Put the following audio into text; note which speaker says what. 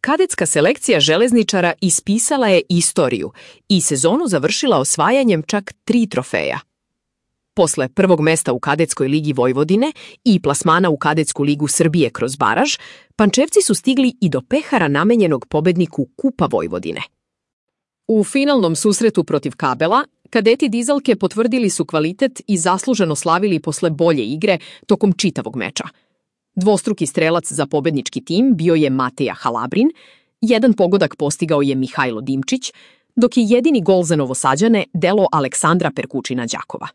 Speaker 1: Kadetska selekcija železničara ispisala je istoriju i sezonu završila osvajanjem čak 3 trofeja. Posle prvog mesta u Kadetskoj ligi Vojvodine i plasmana u Kadetsku ligu Srbije kroz baraž, Pančevci su stigli i do pehara namenjenog pobedniku Kupa Vojvodine. U finalnom susretu protiv Kabela, kadeti Dizalke potvrdili su kvalitet i zasluženo slavili posle bolje igre tokom čitavog meča. Dvostruki strelac za pobednički tim bio je Mateja Halabrin, jedan pogodak postigao je Mihajlo Dimčić, dok je jedini gol za Novosađane delo Aleksandra Perkučina Đakova.